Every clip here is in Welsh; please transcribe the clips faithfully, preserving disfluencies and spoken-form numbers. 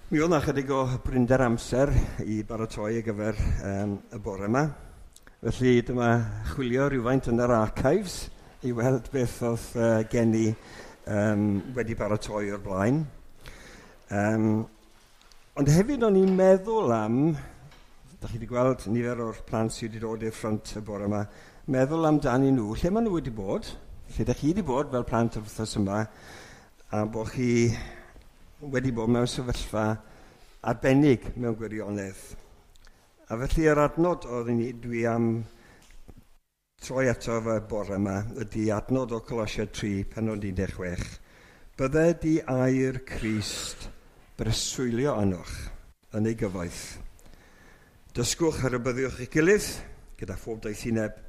Mi oedd 'na chydig o brinder amser i baratoi ar gyfer um, y bore yma. Felly dyma chwilio rhywfaint yn yr archives i weld beth oedd uh, gen i um, wedi baratoi o'r blaen. Um, ond hefyd o'n i'n meddwl am, da chi wedi gweld nifer o'r plant sydd wedi dod i'r ffrynt y bore yma, meddwl amdanyn nhw, lle maen nhw wedi bod, lle da chi wedi bod fel plant yr wythnos yma, a bod chi wedi bod mewn sefyllfa arbennig mewn gwirionedd. A felly yr adnod oedd ni, dwi am troi ato fe bore yma ydy adnod o Colosiaid tri, pennod un deg chwech. Bydde di air Crist breswylio arnoch yn ei gyfoeth. Dysgwch a rhybuddiwch eich gilydd gyda phob doethineb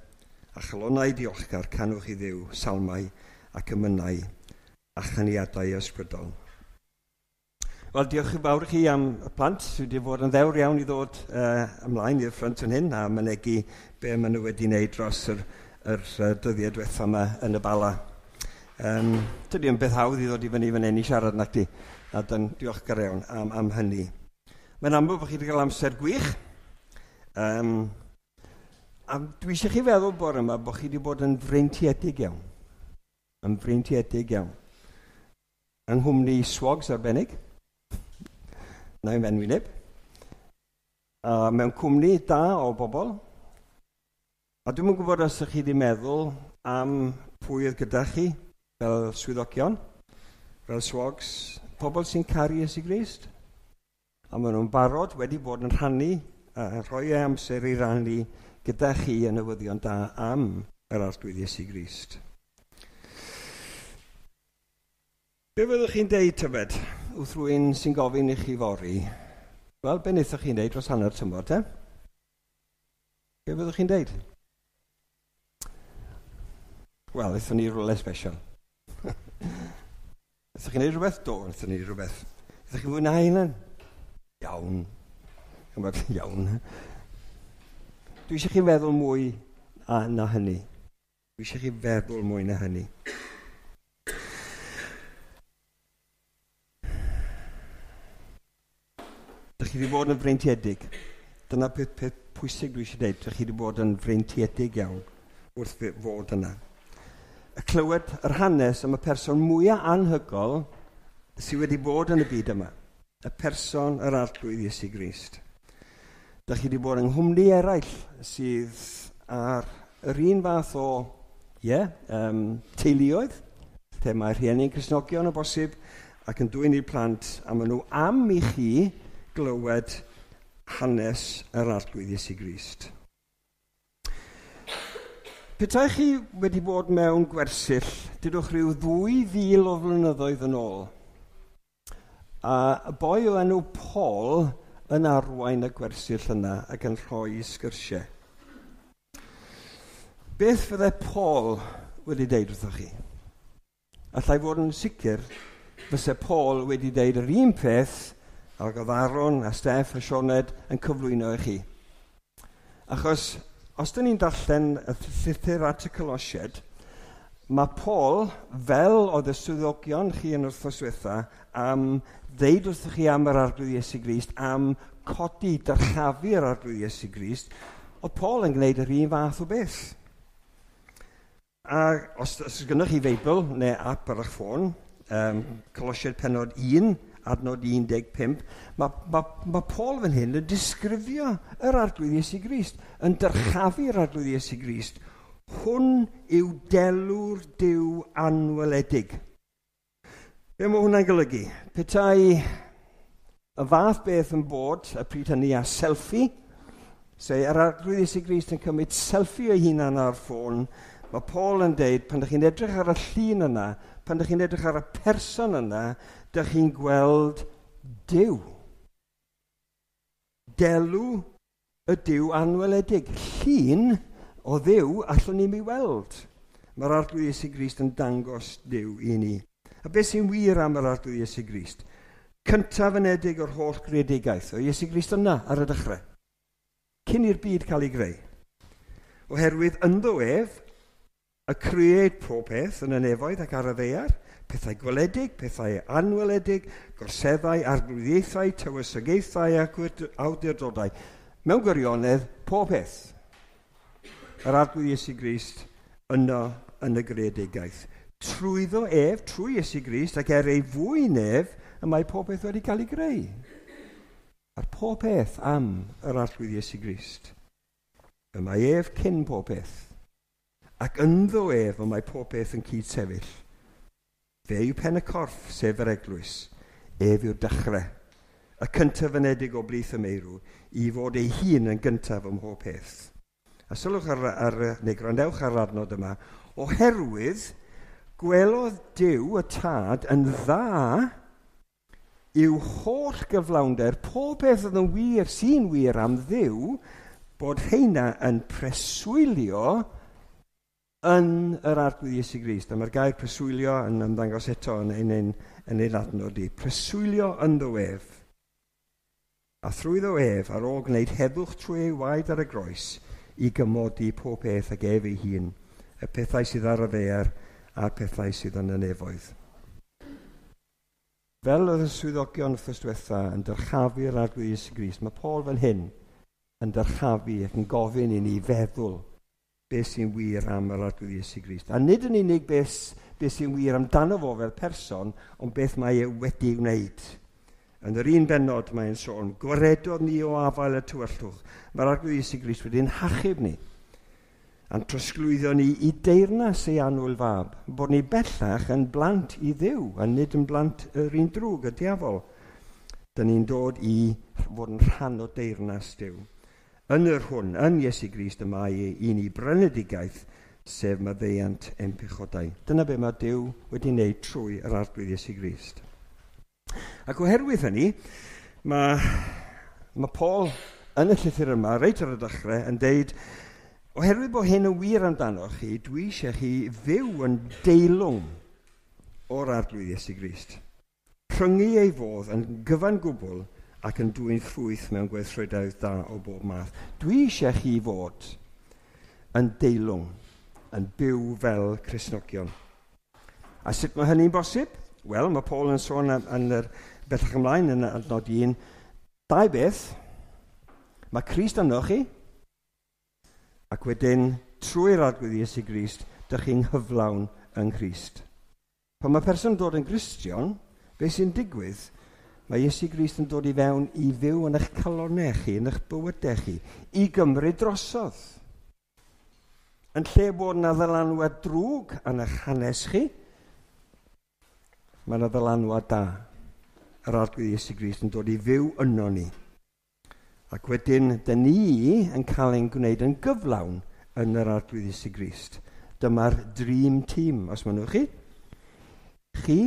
a chalonnau diolchgar canwch i Dduw, salmau ac emynau a chaniadau ysbrydol. Wel, diolch yn fawr i chi am y plant sydd wedi bod yn ddewr iawn i ddod uh, ymlaen i'r ffrynt yn hyn a mynegi be maen nhw wedi wneud dros yr, yr uh, dyddiau diwetha yma yn y Bala. Um, dydy yn beth hawdd i ddod i fyny fan hyn i siarad nac di, a dyn diolchgar iawn am, am hynny. Mae'n amlwg bod chi wedi cael amser gwych. Um, a dwi eisiau chi feddwl bore yma bod chi wedi bod yn freintiedig iawn. Yn freintiedig iawn. Yng nghwmni swogs arbennig. Na i'n fenwyneb. A mewn cwmni da o bobl. A dwi'm yn gwybod os ydych chi wedi meddwl am pwy oedd gyda chi fel swyddogion, fel swogs, pobl sy'n caru Iesu Grist. A maen nhw'n barod wedi bod yn rhannu, a rhoi eu amser i rannu gyda chi y newyddion da am yr Arglwydd Iesu Grist. Be fyddwch chi'n deud tybed wrth rhywun sy'n gofyn i chi fory? Wel, be wnaethoch chi'n deud dros hanner tymor, te? Be fyddwch chi'n deud? Wel, aethon ni rhywle special. Aethoch chi'n neud rhywbeth? Do, aethon ni rhywbeth. Aethoch chi'n fwynhau hynny? Iawn. Chymod, iawn. Dwi eisiau chi feddwl mwy a, na hynny. Dwi eisiau chi feddwl mwy na hynny. Dych chi wedi bod yn freintiedig. Dyna peth, peth pwysig dwi eisiau dweud. Dych chi wedi bod yn freintiedig iawn wrth fod yna. Y clywed yr hanes am y person mwyaf anhygol sydd wedi bod yn y byd yma. Y person yr Arglwydd Iesu Grist. Dych chi wedi bod yng nghwmni eraill sydd ar yr un fath o yeah, um, teuluoedd, lle mae rhieni'n Cristnogion o bosib, ac yn dwyn i'r plant, a maen nhw am i chi glywed hanes yr Arglwydd Iesu Grist. Petai chi wedi bod mewn gwersyll, dydwch rhyw ddwy fil o flynyddoedd yn ôl, a y boi o enw Paul yn arwain y gwersyll yna ac yn rhoi sgyrsiau. Beth fydde Paul wedi deud wrthoch chi? Allai fod yn sicr fyse Paul wedi deud yr un peth ac oedd Aaron a Steff a Sioned yn cyflwyno i chi. Achos, os dyn ni'n darllen y llythyr at y Colosiaid, mae Paul, fel oedd y swyddogion chi yn wythnos diwetha, am ddeud wrthych chi am yr Arglwydd Iesu Grist, am codi dyrchafu'r Arglwydd Iesu Grist, oedd Paul yn gwneud yr un fath o beth. A os, os gynnoch chi Feibl neu app ar eich ffôn, um, Colosiaid pennod un, adnod un deg pump, mae, mae, mae Paul fan hyn yn disgrifio yr Arglwydd Iesu Grist, yn dyrchafu'r Arglwydd Iesu Grist. Hwn yw delw'r Duw anweledig. Be mae hwnna'n golygu? Petai y fath beth yn bod, y pryd hynny a selfie, se yr Arglwydd Iesu Grist yn cymryd selfie o'i hunan ar ffôn, mae Paul yn deud, pan ydych chi'n edrych ar y llun yna, pan ydych chi'n edrych ar y person yna, dych chi'n gweld Duw. Delw y Duw anweledig. Llun o Dduw allwn ni'm ei weld. Mae'r Arglwydd Iesu Grist yn dangos Duw i ni. A beth sy'n wir am yr Arglwydd Iesu Grist? Cyntaf anedig o'r holl greadigaeth. O Iesu Grist yna ar y dechrau. Cyn i'r byd cael ei greu. Oherwydd ynddo ef, y cread pob peth yn y nefoedd ac ar y ddaear, Pethau gweledig, pethau anweledig, gorseddau, arglwyddiaethau, tywysogaethau ac awdurdodau. Mewn gwirionedd, pob peth. Yr Arglwydd Iesu Grist yno yn y greadigaeth. Trwyddo ef, trwy Iesu Grist, ac er ei fwyn ef, y mae pob peth wedi cael ei greu. A'r pob peth am yr Arglwydd Iesu Grist. Y mae ef cyn pob peth. Ac ynddo ef y mae pob peth yn cyd-sefyll. Fe yw pen y corff, sef yr eglwys. Ef yw'r dechrau, y cyntaf fynedig o blith y meirw, i fod ei hun yn gyntaf ym mhob peth. A sylwch ar, ar, neu gwrandewch ar adnod yma, oherwydd gwelodd Duw y Tad yn dda i'w holl gyflawnder, pob peth oedd yn wir, sy'n wir am Dduw, bod rheina yn preswylio yn yr Arglwydd Iesu Grist. A mae'r gair preswylio yn ymddangos eto yn ein, ein, yn ein adnod i. Preswylio ynddo ef. A thrwyddo ef, ar ôl gwneud heddwch trwy ei waed ar y groes, i gymodi pob peth ag ef ei hun, y pethau sydd ar y ddaear a'r pethau sydd yn y nefoedd. Fel oedd y swyddogion wythnos diwetha yn dyrchafu'r Arglwydd Iesu Grist, mae Paul fan hyn yn dyrchafu ac yn gofyn i ni feddwl beth sy'n wir am yr Arglwydd Iesu Grist. A nid yn unig beth, beth sy'n wir amdano fo fel person, ond beth mae e wedi wneud. Yn yr un bennod mae'n sôn, gwaredodd ni o afael y tywyllwch. Mae'r Arglwydd Iesu Grist wedi'n hachub ni, a'n trosglwyddo ni i deyrnas ei annwyl fab, bod ni bellach yn blant i Dduw, a nid yn blant yr un drwg, y diafol. Dyn ni'n dod i fod yn rhan o deyrnas Duw. Yn yr hwn, yn Iesu Grist, y mae i ni brynedigaeth, sef maddeuant ein pechodau. Dyna be mae Duw wedi wneud trwy yr Arglwydd Iesu Grist. Ac oherwydd hynny, mae, mae Paul yn y llythyr yma, reit ar y dechrau, yn deud, oherwydd bod hyn yn wir amdano chi, dwi eisiau chi fyw yn deilwng o'r Arglwydd Iesu Grist. Rhyngu ei fodd yn gyfan gwbl ac yn dwyn ffrwyth mewn gweithredoedd da o bob math. Dwi eisiau chi fod yn deilwng, yn byw fel Cristnogion. A sut mae hynny'n bosib? Wel, mae Paul yn sôn yn yr bellach ymlaen yn adnod un, dau beth. Mae Crist yno chi, ac wedyn trwy'r Arglwydd Iesu Grist, dych chi'n hyflawn yng Nghrist. Pan mae person yn dod yn Gristion, beth sy'n digwydd? Mae Iesu Grist yn dod i fewn i fyw yn eich calonnau chi, yn eich bywydau chi, i gymryd drosodd. Yn lle bod yna ddylanwad drwg yn eich hanes chi, mae yna ddylanwad da. Yr Arglwydd Iesu Grist yn dod i fyw yno ni. Ac wedyn, dyn ni yn cael ein gwneud yn gyflawn yn yr Arglwydd Iesu Grist. Dyma'r dream team, os mynnwch chi. Chi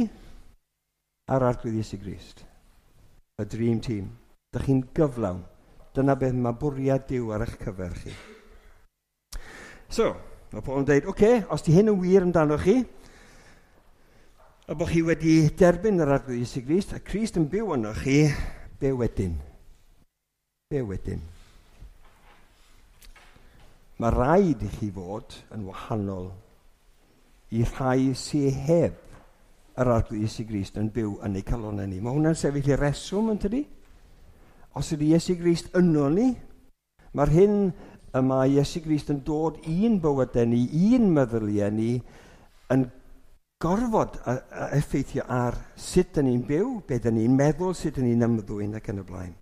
a'r Arglwydd Iesu Grist. Y dream team. Dych chi'n gyflawn. Dyna beth mae bwriad Duw ar eich cyfer chi. So, mae Paul yn dweud, oce, okay, os di hyn yn wir amdano chi, a bod chi wedi derbyn yr Arglwydd Iesu Grist, a Crist yn byw yno chi, be wedyn? Be wedyn? Mae rhaid i chi fod yn wahanol i rhai sydd heb yr Arglwydd Iesu Grist yn byw yn eu calonnau ni. Mae hwnna'n sefyll i reswm, yn tydi? Os ydy Iesu Grist yno ni, mae'r hyn y mae Iesu Grist yn dod i'n bywydau ni, i'n meddyliau ni, yn gorfod a, a effeithio ar sut dyn ni'n byw, be dyn ni'n meddwl, sut dyn ni'n ymddwyn ac yn y blaen.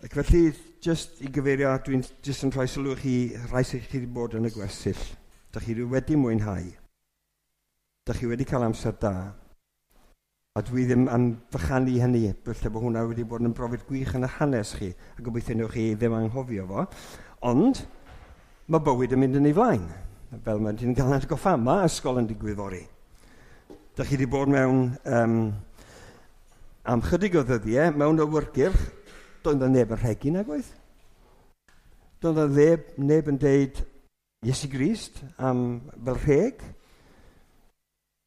Ac felly, just i gyfeirio, dwi'n just yn rhoi sylw chi, rhai sydd chi wedi bod yn y gwersyll. Dych chi wedi mwynhau. Dych chi wedi cael amser da. A dwi ddim am fychanu hynny, felly bod hwnna wedi bod yn brofiad gwych yn y hanes chi, a gobeithio newch chi ddim anghofio fo. Ond mae bywyd yn mynd yn ei flaen, fel mae'n ti'n cael atgoffa, mae ysgol yn digwydd fory. Dych chi wedi bod mewn, um, am chydig o ddyddiau, mewn awyrgylch, doedd yna neb yn rhegi nag oedd. Doedd yna neb, neb yn deud Iesu Grist am fel rheg.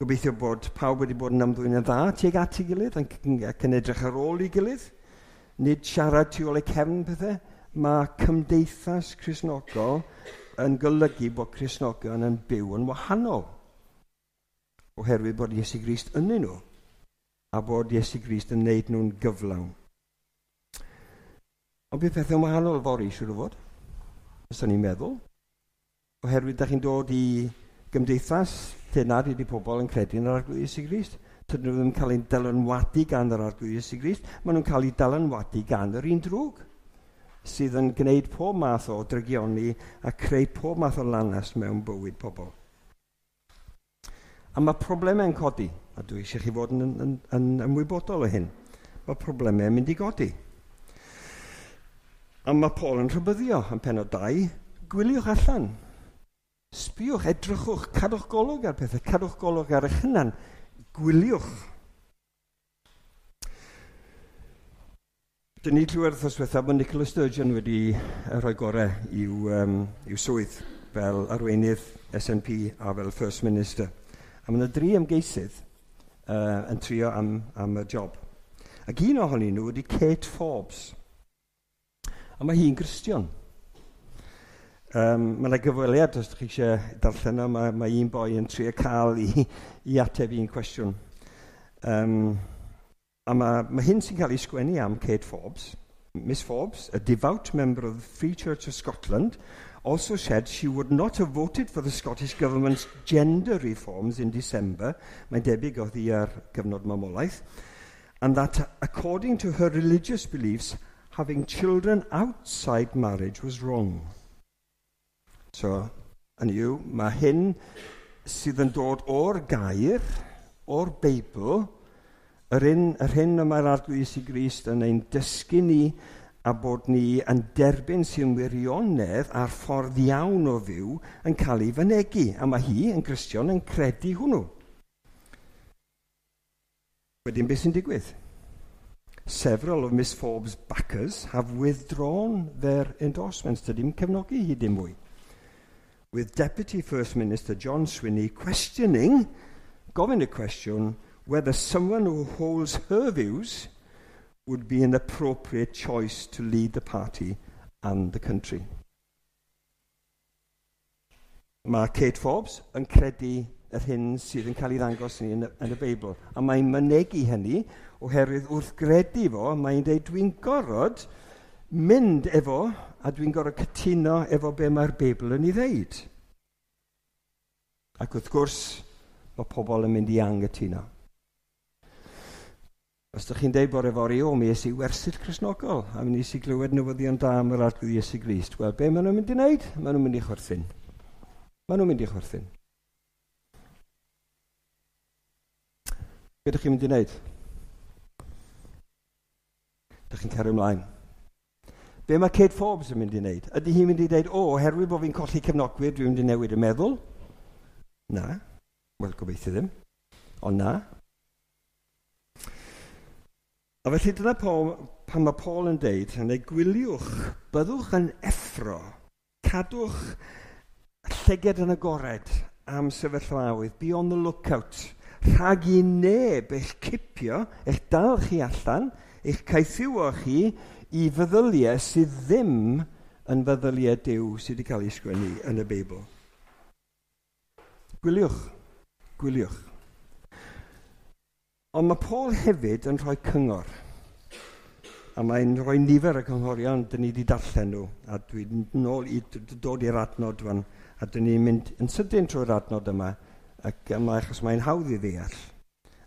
Gobeithio bod pawb wedi bod yn ymddwyn yn dda tuag at ei gilydd ac yn edrych ar ôl ei gilydd. Nid siarad tu ôl eu cefn pethau. Mae cymdeithas Cristnogol yn golygu bod Cristnogion yn byw yn wahanol. Oherwydd bod Iesu Grist ynddyn nhw, a bod Iesu Grist yn wneud nhw'n gyflawn. Ond bydd pethau'n wahanol fory, siŵr o fod, os ni'n meddwl. Oherwydd da chi'n dod i gymdeithas lle nad ydy pobl yn credu yn yr Arglwydd Iesu Grist. Tydyn nhw ddim yn cael eu dylanwadu gan yr Arglwydd Iesu Grist. Maen nhw'n cael eu dylanwadu gan yr un drwg sydd yn gwneud pob math o drygioni a creu pob math o lanast mewn bywyd pobl. A mae problemau'n codi, a dwi eisiau chi fod yn, yn, yn ymwybodol o hyn. Mae problemau'n mynd i godi. A mae Paul yn rhybuddio yn pennod dau, gwyliwch allan. Sbiwch, edrychwch, cadwch golwg ar pethau, cadwch golwg ar eich hunan, gwyliwch. Dyn ni clywed wythnos diwethaf bod Nicola Sturgeon wedi rhoi gorau i'w, um, i'w swydd fel arweinydd S N P a fel First Minister. A mae yna dri ymgeisydd uh, yn trio am, am y job. Ac un ohonyn nhw ydy Kate Forbes. A mae hi'n Gristion. Um, mae yna gyfweliad, os ydych chi eisiau darllen o, mae, mae un boi yn trio cael i, i ateb un cwestiwn. Um, a mae, mae hyn sy'n cael ei sgwennu am Kate Forbes. Miss Forbes, a devout member of the Free Church of Scotland, also said she would not have voted for the Scottish Government's gender reforms in December. Mae'n debyg oedd hi ar gyfnod mamolaeth. And that, according to her religious beliefs, having children outside marriage was wrong. So, hynny yw, mae hyn sydd yn dod o'r gair, o'r Beibl, yr un, yr hyn y mae'r Arglwydd Iesu Grist yn ein dysgu ni a bod ni yn derbyn sy'n wirionedd a'r ffordd iawn o fyw yn cael ei fynegi. A mae hi yn Gristion yn credu hwnnw. Wedyn beth sy'n digwydd? Several of Miss Forbes' backers have withdrawn their endorsements. Dydy'n cefnogi hi dim mwy. With Deputy First Minister John Swinney questioning, gofyn y cwestiwn, whether someone who holds her views would be an appropriate choice to lead the party and the country. Mae Kate Forbes yn credu yr hyn sydd yn cael ei ddangos ni yn y, yn y Beibl. A mae'n mynegi hynny oherwydd wrth gredu fo, mae'n dweud dwi'n gorfod mynd efo a dwi'n gorfod cytuno efo be mae'r Beibl yn ei ddeud. Ac wrth gwrs, mae pobl yn mynd i anghytuno. Os ydych chi'n deud bore fory, o, mi es i wersyll Cristnogol, a mi nes i glywed newyddion da am yr Arglwydd Iesu Grist. Wel, be maen nhw'n mynd i wneud? Maen nhw'n mynd i chwerthin. Maen nhw'n mynd i chwerthin. Be ydych chi'n mynd i wneud? Ydych chi'n cario ymlaen. Be mae Kate Forbes yn mynd i wneud? Ydy hi'n mynd i dweud, o, oherwydd bod fi'n colli cefnogwyr, dwi'n mynd i newid y meddwl? Na. Wel, gobeithio ddim. Ond na. A felly dyna Paul, pan mae Paul yn deud, yn ei gwyliwch, byddwch yn effro, cadwch llygad yn agored am sefyllfaoedd, be on the lookout, rhag i neb eich cipio, eich dal chi allan, eich caethiwo chi i feddyliau sydd ddim yn feddyliau Duw sydd wedi cael ei sgwennu yn y Beibl. Gwyliwch, gwyliwch. Ond mae Paul hefyd yn rhoi cyngor. A mae'n rhoi nifer y cynghorion, dyn ni wedi darllen nhw. A dwi'n nôl i dod i'r adnod fan. A dyn ni'n mynd yn sydyn trwy'r adnod yma, ac yma achos mae'n hawdd i ddeall.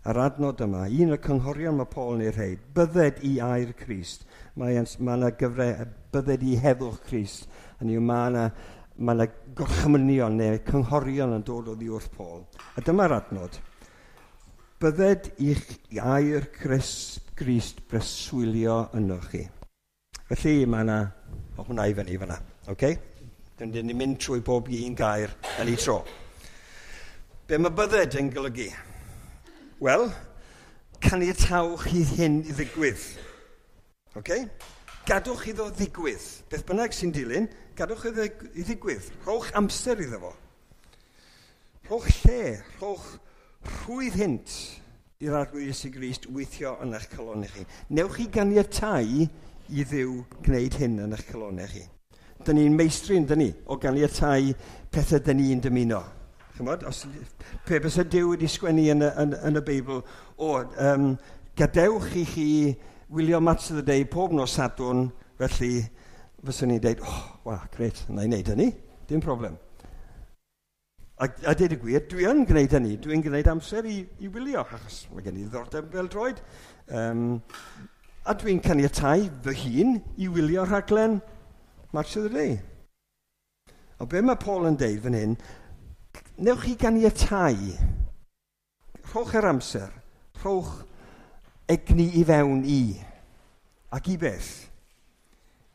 Yr adnod yma, un o'r cynghorion mae Paul yn ei rhoi, bydded i air Crist. Mae yna gyfre, bydded i heddwch Crist. Hynny yw, mae yna mae yna gorchmynion neu cynghorion yn dod oddi wrth Paul. A dyma'r adnod. Bydded i'ch air Crist breswylio ynoch chi. Felly mae yna, o hwnna i fyny fyna, okay? Dyn ni'n mynd trwy bob un gair yn ei tro. Be mae bydded yn golygu? Wel, caniatawch i hyn i ddigwydd. Okay? Gadwch iddo ddigwydd. Beth bynnag sy'n dilyn, gadwch iddo i ddigwydd. Rhowch amser iddo fo. Rhowch lle, rhowch rhwydd hynt i'r Arglwydd Iesu Grist weithio yn eich calonnau chi. Newch chi ganiatáu i Dduw gwneud hyn yn eich calonnau chi. Dyn ni'n meistri, dyn ni, o ganiatáu pethau dyn ni'n dymuno. Chymod, os pe bysa Duw wedi sgwennu yn y, yn, yn y Beibl, o, um, gadewch i chi wylio Match of the Day pob nos Sadwrn, felly fyswn i'n deud, oh, wa, grêt, na i wneud hynny, dim problem. A, a dweud y gwir, dwi yn gwneud hynny, dwi'n gwneud amser i, i wylio, achos mae gen i ddiddordeb bêl-droed. Um, a dwi'n caniatáu fy hun i wylio rhaglen Match of the Day. O be mae Paul yn deud fan hyn, newch chi ganiatáu, rhowch yr amser, rhowch egni i fewn i, ac i beth?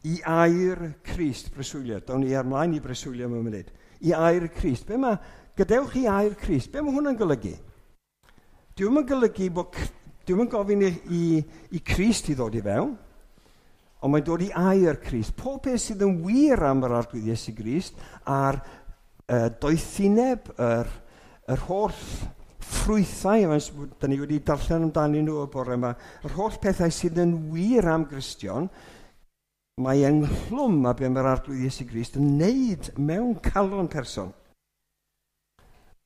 I air Crist breswylio. Down ni ymlaen i breswylio mewn munud. I air Crist. Be mae, gadewch i air Crist. Be mae hwnna'n golygu? Dwi'm yn golygu bod, dwi'm yn gofyn i, i, i Crist i ddod i fewn, ond mae'n dod i air Crist. Pob peth sydd yn wir am yr Arglwydd Iesu Grist a'r uh, doethineb, yr, yr holl ffrwythau, da ni wedi darllen amdanyn nhw y bore yma, yr holl pethau sydd yn wir am Gristion, mae ynghlwm a be mae'r Arglwydd Iesu Grist yn neud mewn calon person.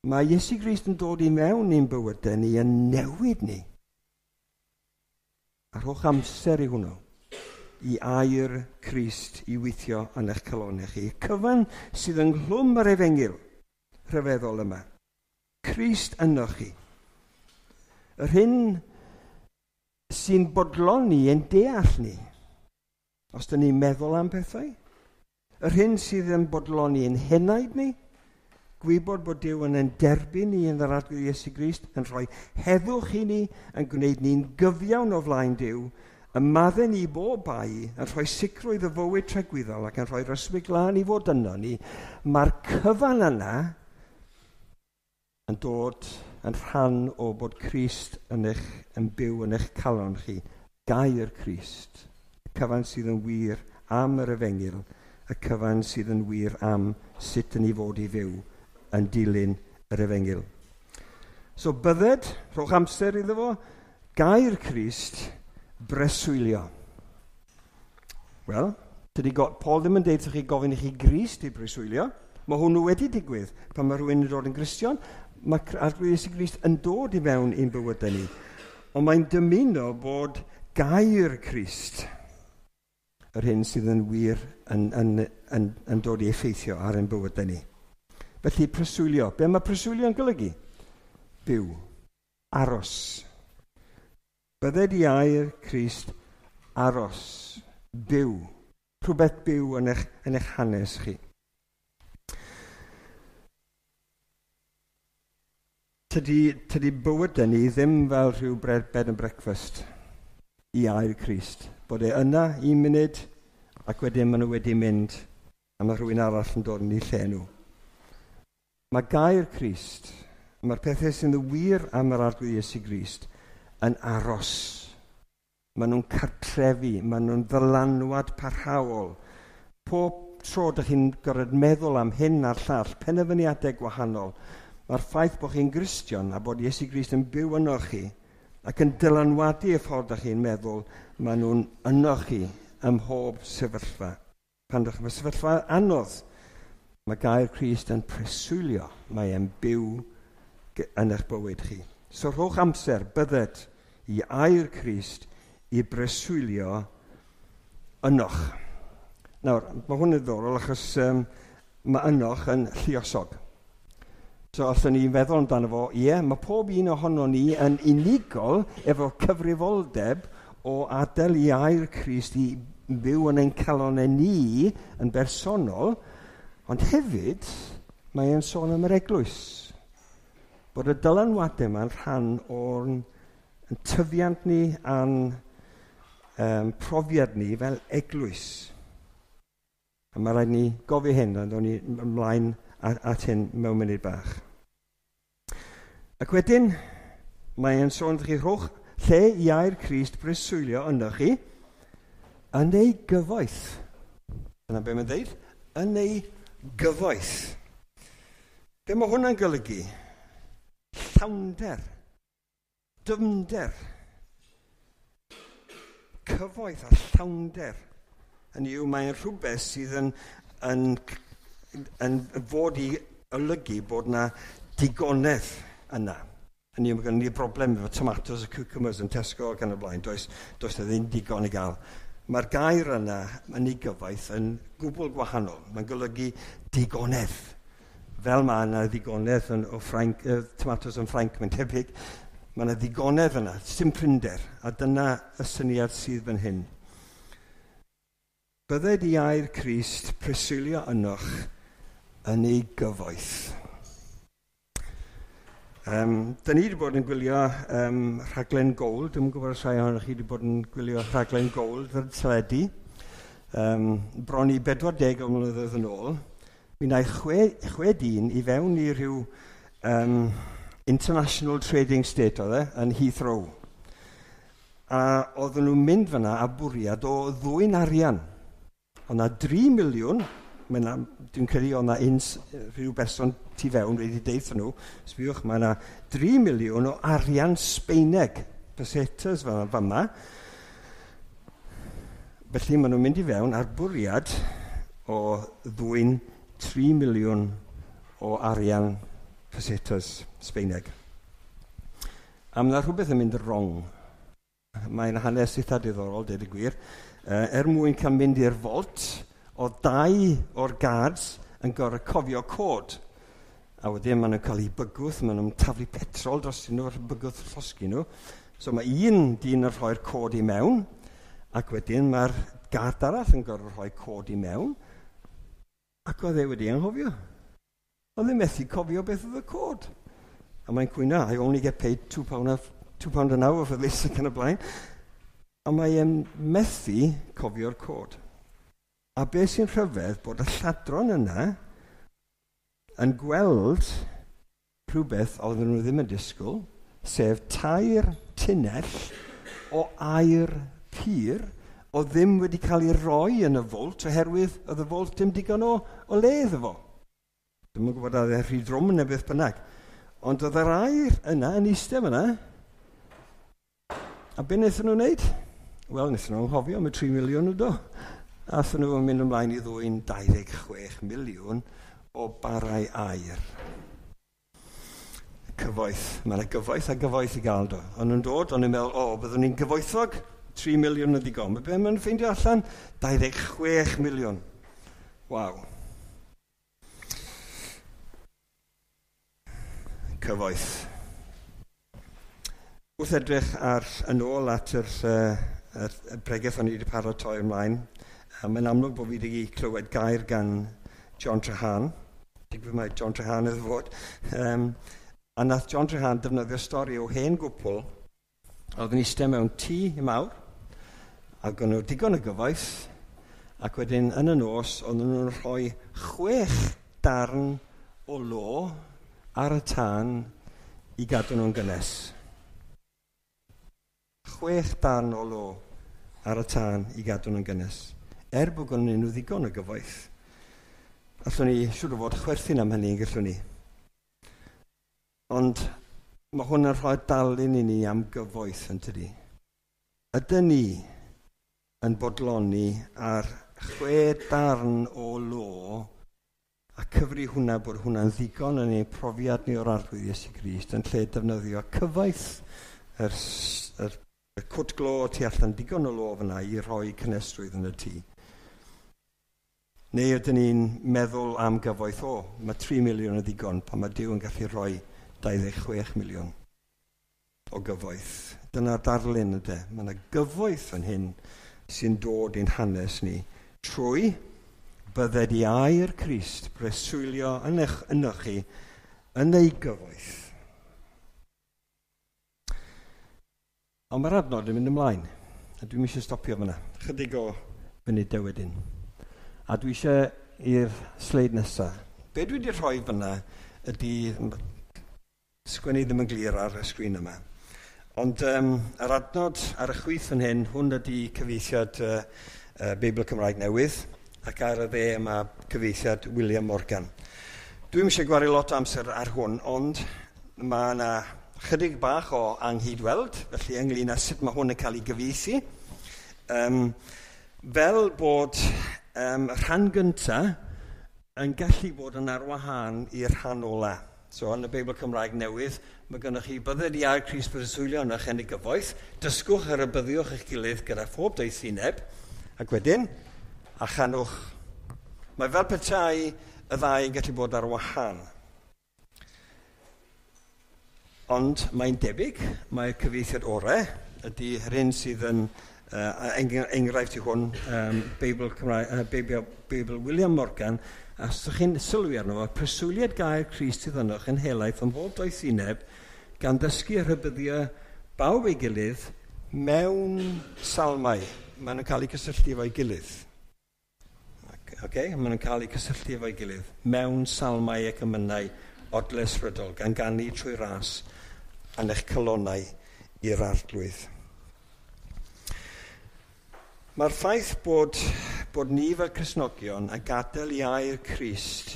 Mae Iesu Grist yn dod i mewn i'n bywydau ni, yn newid ni. A rhowch amser i hwnnw, i air Crist i weithio yn eich calonau chi. Cyfan sydd ynghlwm yr efengyl rhyfeddol yma. Crist ynoch chi. Yr hyn sy'n bodloni yn deall ni, os dyn ni'n meddwl am pethau, yr hyn sydd yn bodloni yn henaid ni, gwybod bod Duw yn ein derbyn ni yn yr Arglwydd Iesu Grist, yn rhoi heddwch i ni, yn gwneud ni'n gyfiawn o flaen Duw, yn maddau ni bob bai, yn rhoi sicrwydd y fywyd tragwyddol ac yn rhoi'r ysbryd glân i fod yno ni, mae'r cyfan yna yn dod yn rhan o bod Crist yn eich, yn byw yn eich calon chi. Gair Crist, y cyfan sydd yn wir am yr efengyl, y cyfan sydd yn wir am sut yn ei fod i fyw yn dilyn yr efengyl. So bydded, rhowch amser iddo fo, gair Crist, breswylio. Wel, tydi Paul ddim yn deud chi gofyn i chi Grist i breswylio. Mae hwnnw wedi digwydd. Pan mae rhywun yn dod yn Gristion, mae Arglwydd Iesu Grist yn dod i mewn i'n bywydau ni. Ond mae'n dymuno bod gair Crist, yr hyn sydd yn wir yn, yn, yn, yn dod i effeithio ar ein bywydau ni. Felly preswylio. Be mae preswylio yn golygu? Byw. Aros. Bydded i air Crist aros. Byw. Rhywbeth byw yn eich, yn eich hanes chi. Tydi, tydi bywydau ni ddim fel rhyw bread, bed and breakfast i air Crist. Bod e yna un munud ac wedyn maen nhw wedi mynd a mae rhywun arall yn dod yn eu lle nhw. Mae gair Crist, mae'r pethau sy'n wir am yr Arglwydd Iesu Grist yn aros. Maen nhw'n cartrefu, maen nhw'n ddylanwad parhaol. Pob tro dych chi'n gorfod meddwl am hyn a'r llall, penderfyniadau gwahanol, mae'r ffaith bod chi'n Gristion a bod Iesu Grist yn byw yno chi ac yn dylanwadu y ffordd dych chi'n meddwl, maen nhw'n yno chi ym mhob sefyllfa. Pan dych chi'n sefyllfa anodd, mae gair Crist yn preswylio, mae e'n byw yn eich bywyd chi. So rhowch amser, bydded i air Crist i breswylio ynoch. Nawr, mae hwn yn ddiddorol achos um, mae ynoch yn lluosog. So allwn ni feddwl amdano fo, ie, mae pob un ohono ni yn unigol efo cyfrifoldeb o adael i air Crist i byw yn ein calonau ni yn bersonol, ond hefyd mae e'n sôn am yr eglwys. Bod y dylanwadau yma'n rhan o'r tyfiant ni a'n um, profiad ni fel eglwys. A mae rhaid ni gofio hyn, a ddown ni ymlaen at hyn mewn munud bach. Ac wedyn, mae e'n sôn chi rhowch lle i air Crist breswylio yno chi yn ei gyfoeth. Dyna be mae'n dweud? Yn ei gyfoeth. Be mae hwnna'n golygu? Llawnder, dyfnder, cyfoeth a llawnder. Hynny yw, mae'n rhywbeth sydd yn, yn, yn fod i olygu bod na digonedd yna. Hynny yw, mae gennym ni broblem efo tomatoes a cucumbers yn Tesco ac yn y blaen. Does, does na ddim digon i gael. Mae'r gair yna yn ei gyfoeth yn gwbl gwahanol. Mae'n golygu digonedd. Fel mae yna ddigonedd yn, o Ffrainc, uh, tomatoes yn Ffrainc, mae'n tebyg. Mae yna ddigonedd yna, sim prinder. A dyna y syniad sydd fan hyn. Bydded i air Crist preswylio ynoch yn ei gyfoeth. Um, da ni wedi bod yn gwylio um, rhaglen Gold. Dwi'n gwybod os rhai ohonoch chi wedi bod yn gwylio rhaglen Gold ar teledu. Um, bron i bedwar deg o mlynyddoedd yn ôl. Mi wnaeth chwe, chwe dyn i fewn i rhyw um, International Trading State oedd e, yn Heathrow. A oedden nhw'n mynd fyna a bwriad o ddwyn arian. Oedd 'na dri miliwn, dwi'n credu oedd 'na un rhyw berson tu fewn wedi deud nhw, sbiwch, mae yna dri miliwn o arian Sbeineg, pesetas fel yma. Felly maen nhw'n mynd i fewn ar bwriad o ddwyn tri miliwn o arian pesetas Sbeineg. A mae yna rhywbeth yn mynd wrong. Mae'n hanes eitha diddorol, dweud y gwir. Er mwyn cael mynd i'r vault, o dau o'r guards yn gorfod cofio cod. A wedyn maen nhw'n cael eu bygwth, maen nhw'n taflu petrol dros nhw, bygwth llosgi nhw. So mae un dyn yn rhoi'r cod i mewn, ac wedyn mae'r guard arall yn gorfod rhoi cod i mewn, ac oedd e wedi anghofio. Oedd e methu cofio beth oedd y cod. A mae'n cwyno, I only get paid two pound, two pound an hour for this ac yn y blaen. A mae'n methu cofio'r cod. A beth sy'n rhyfedd bod y lladron yna yn gweld rhywbeth oedden nhw ddim yn disgwyl, sef tair tunnell o aer pur oedd ddim wedi cael ei roi yn y vault oherwydd oedd y vault dim digon o, o le iddo fo. Dwi'm yn gwybod oedd e rhy drwm neu beth bynnag. Ond oedd yr aer yna yn eistedd yna. A be wnaethon nhw wneud? Wel, wnaethon nhw anghofio am y tri miliwn o do. Aethon nhw yn mynd ymlaen i ddwyn dau ddeg chwech miliwn o barau aer. Cyfoeth. Mae yna gyfoeth a gyfoeth i gael do. Ond nhw'n dod, ond nhw'n meddwl, o, byddwn ni'n gyfoethog, tri miliwn yn ddigon. Mae be maen nhw'n ffeindio allan? dau ddeg chwech miliwn. Waw. Cyfoeth. Wrth edrych ar yn ôl at yr, uh, yr, y bregeth o'n i wedi paratoi ymlaen, mae'n amlwg bod fi wedi clywed gair gan John Trahan. Digwydd mae John Trahan iddo fod. Um, a nath John Trahan defnyddio stori o hen gwpl oedd yn eistedd mewn tŷ mawr, ac o'n nhw digon o gyfoeth, ac wedyn yn y nos oedden nhw'n rhoi chwech darn o lo ar y tân i gadw nhw'n gynnes. Chwech darn o lo ar y tân i gadw nhw'n gynnes. Er bod gen nhw ddigon o gyfoeth. Allwn ni siŵr o fod chwerthin am hynny, gallwn ni. Ond mae hwn yn rhoi darlun i ni am gyfoeth, yn tydi. Ydyn ni yn bodloni ar chwe darn o lo a cyfri hwnna bod hwnna'n ddigon yn ein profiad ni o'r Arglwydd Iesu Grist yn lle defnyddio cyfoeth yr, yr, y cwt glo tu allan digon o lo fyna i rhoi cynnesrwydd yn y tŷ. Neu ydyn ni'n meddwl am gyfoeth, o, mae tri miliwn yn ddigon pan mae Duw yn gallu rhoi dau ddeg chwech miliwn o gyfoeth. Dyna'r darlun ydy. Mae yna gyfoeth yn hyn sy'n dod i'n hanes ni trwy bydded i air Crist breswylio yn eich ynoch chi yn ei gyfoeth. Ond mae'r adnod yn mynd ymlaen, a dwi'm eisiau stopio fyna. Chydig o funudau wedyn. A dwi eisiau i'r sleid nesaf. Be dwi wedi rhoi fyna ydy, sgwennu ddim yn glir ar y sgrin yma, ond um, yr adnod ar y chwith fan hyn, hwn ydy cyfieithiad uh, uh, Beibl Cymraeg Newydd, ac ar y dde mae cyfieithiad William Morgan. Dwi'm eisiau gwario lot o amser ar hwn, ond mae yna chydig bach o anghydweld, felly ynglyn â sut mae hwn yn cael ei gyfieithu. Um, fel bod um, rhan gyntaf yn gallu bod yn arwahân i'r rhan ola. So yn y Beibl Cymraeg newydd, mae gennych chi bydded i air Crist breswylio yn eich yn gyfoeth, dysgwch a rhybuddiwch eich gilydd gyda phob doethineb, ac wedyn, a chanwch. Mae fel petai y ddau yn gallu bod ar wahân. Ond mae'n debyg, mae'r cyfieithiad orau ydy yr hyn sydd yn uh, enghraifft i hwn, um, Beibl, Cymraeg, uh, Beibl, Beibl William Morgan, a os ydych chi'n sylwi arno fo, preswyliad gair Crist sydd ynoch yn helaeth ym mhob doethineb, gan ddysgu a rhybuddio bawb ei gilydd mewn salmau. Maen nhw'n cael eu cysylltu efo'i gilydd. Okay? Maen nhw'n cael eu cysylltu efo'i gilydd mewn salmau ac emynau odle ysbrydol, gan ganu trwy ras yn eich calonnau i'r Arglwydd. Mae'r ffaith bod, bod ni fel Cristnogion a gadael i air Crist,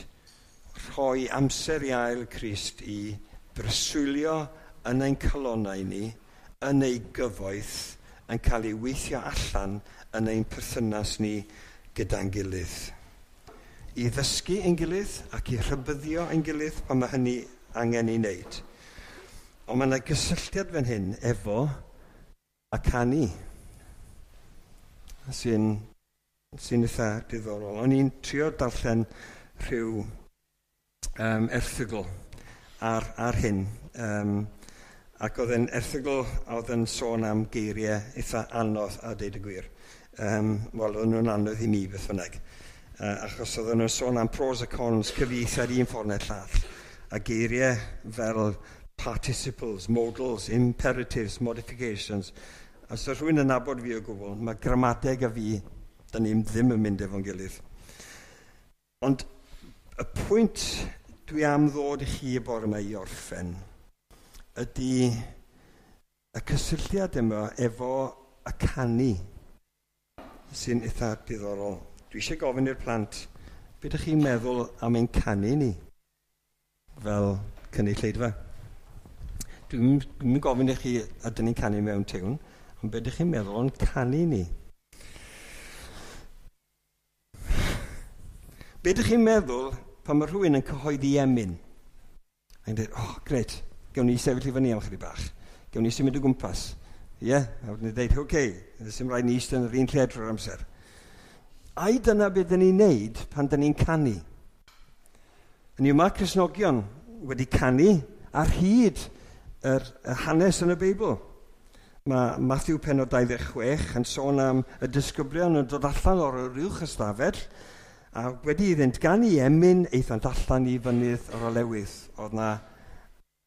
rhoi amser i air Crist i breswylio yn ein calonnau ni, yn ei gyfoeth, yn cael ei weithio allan yn ein perthynas ni gyda'n gilydd. I ddysgu ein gilydd ac i rhybuddio ein gilydd pan mae hynny angen ei wneud. Ond mae yna gysylltiad fan hyn efo y canu sy'n sy'n eitha diddorol. O'n i'n trio darllen rhyw um, erthygl ar, ar hyn. Um, ac oedd e'n erthygl oedd yn sôn am geiriau eitha anodd a deud y gwir. Um, Wel, oedden nhw'n anodd i mi beth bynnag. Uh, achos oedden nhw'n sôn am pros a cons cyfieithiad un ffordd neu'r llall. A geiriau fel participles, modals, imperatives, modifications. A os oes rhywun yn nabod fi o gwbl, mae gramadeg a fi, da ni ddim yn mynd efo'n gilydd. Ond y pwynt dwi am ddod i chi y bore yma i orffen ydy y cysylltiad yma efo y canu sy'n eitha diddorol. Dwi eisiau gofyn i'r plant, beth ydych chi'n meddwl am ein canu ni fel cynulleidfa? Dwi'n dwi gofyn i chi ydyn ni'n canu mewn tiwn, ond beth ydych chi'n meddwl o'n canu ni? Be ydych chi'n meddwl pan mae rhywun yn cyhoeddi emyn? A'n dweud, oh, grêt, gawn ni sefyll i fyny am chydig bach. Gawn ni symud o gwmpas. Ie, yeah? A wedyn dweud, oce, okay, ddim rhaid ni eistedd yn yr un lle drwy'r amser. Ai dyna beth dyn ni'n neud pan dyn ni'n canu? Yn yw, mae Cristnogion wedi canu ar hyd yr, yr hanes yn y Beibl. Mae Matthew pennod dau ddeg chwech yn sôn am y disgyblion yn dod allan o'r uwch ystafell a wedi iddynt ganu emyn aethant allan i fynydd yr olewydd. Oedd na,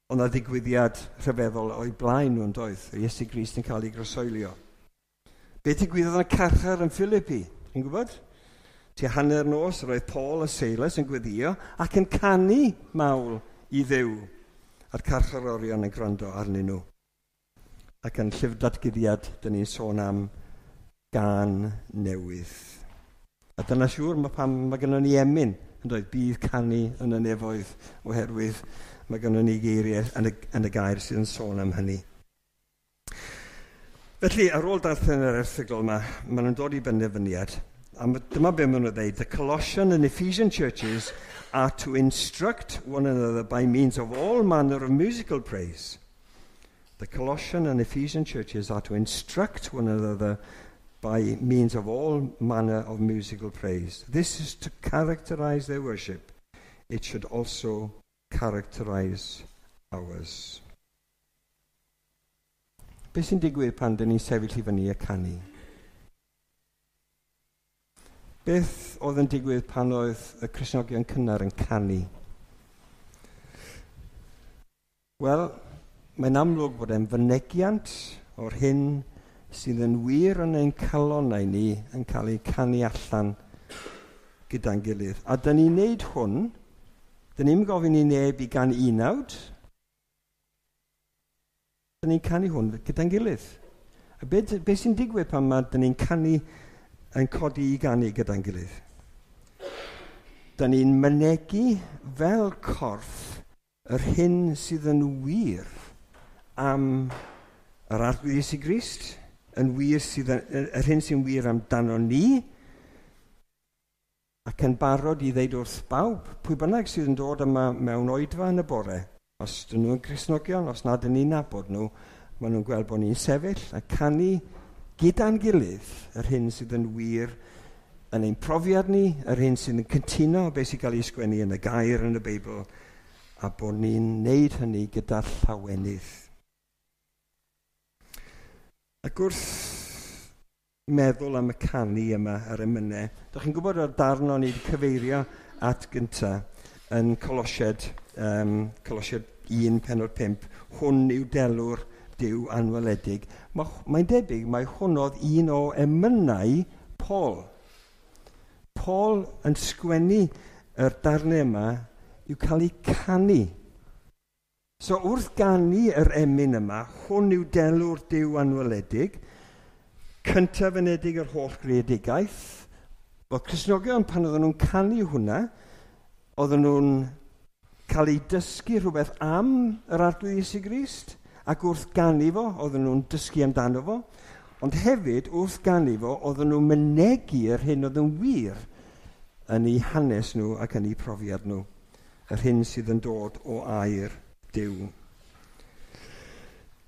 oedd na ddigwyddiad rhyfeddol o'i blaen nhw'n doedd. Iesu Grist yn cael ei groeshoelio. Be digwyddodd yn y carchar yn Philippi? Chi'n gwybod? Tua hanner nos roedd Paul a Silas yn gweddio ac yn canu mawl i Dduw. A'r carcharorion yn gwrando arnyn nhw. Ac yn llyfr datguddiad, dyn ni'n sôn am gan newydd. A dyna siŵr mae pam mae gennym ni emyn, yn dweud bydd canu yn y nefoedd, oherwydd mae gennym ni geiriau yn y, yn y gair sydd yn sôn am hynny. Felly, ar ôl darllen yr erthygl yma, maen nhw'n dod i benderfyniad, a dyma be maen nhw'n dweud, the Colossian and Ephesian churches are to instruct one another by means of all manner of musical praise. The Colossian and Ephesian churches are to instruct one another by means of all manner of musical praise. This is to characterize their worship. It should also characterize ours. Be sy'n digwydd pan dyn ni'n sefyll i fyny a canu? Beth oedd yn digwydd pan oedd y Cristnogion cynnar yn canu? Wel, mae'n amlwg bod e'n fynegiant o'r hyn sydd yn wir yn ein calonnau ni yn cael ei canu allan gyda'n gilydd. A dyn ni'n neud hwn, dyn ni'n gofyn i neb i gan unawd, dyn ni'n canu hwn gyda'n gilydd. A be, be sy'n digwydd pan mae dyn ni'n canu yn codi i ganu gyda'n gilydd? Dyn ni'n mynegi fel corff yr hyn sydd yn wir am yr Arglwydd Iesu Grist, yn wir sydd yn, yr hyn sy'n wir amdano ni, Ac yn barod i ddeud wrth bawb, pwy bynnag sydd yn dod yma mewn oedfa yn y bore, os dyn nhw'n Gristnogion, os nad ydyn ni'n nabod nhw, maen nhw'n gweld bod ni'n sefyll a canu gyda'n gilydd yr hyn sydd yn wir yn ein profiad ni, yr hyn sydd yn cytuno beth sy'n cael ei sgwennu yn y gair yn y Beibl, a bod ni'n neud hynny gyda llawenydd. Ac wrth meddwl am y canu yma ar emynau, dych chi'n gwybod o'r darn o'n i wedi cyfeirio at gynta yn Colosiaid, um, Colosiaid un pennod pump, hwn yw delw'r Duw anweledig. Mae'n debyg mae hwn oedd un o emynau Paul. Paul yn sgwennu yr darnau yma i'w cael eu canu. So wrth ganu yr emyn yma, hwn yw delw'r Duw anweledig, cyntaf unedig yr holl greadigaeth. Wel, Cristnogion pan oedden nhw'n canu hwnna, oedden nhw'n cael eu dysgu rhywbeth am yr Arglwydd Iesu Grist, ac wrth ganu fo, oedden nhw'n dysgu amdano fo, ond hefyd wrth ganu fo, oedden nhw'n mynegi yr hyn oedd yn wir yn eu hanes nhw ac yn eu profiad nhw, yr hyn sydd yn dod o air Duw.